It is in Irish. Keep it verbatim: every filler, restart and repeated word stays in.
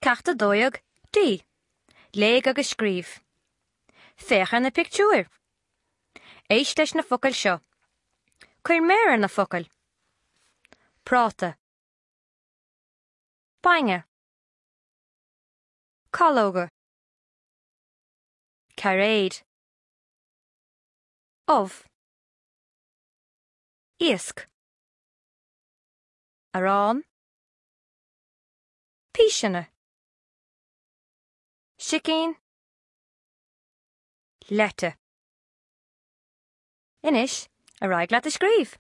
Ceacht a dó dhéag D. Léigh agus scríobh. Féach ar na pictiúir. Éist leis na focail seo. Cuir méar ar na focail. Práta. Bainne. Calóga. Cairéad. Ubh. Iasc. Arán. Píseanna. Sicín. Leite. Anois, ar aghaidh leat a scríobh.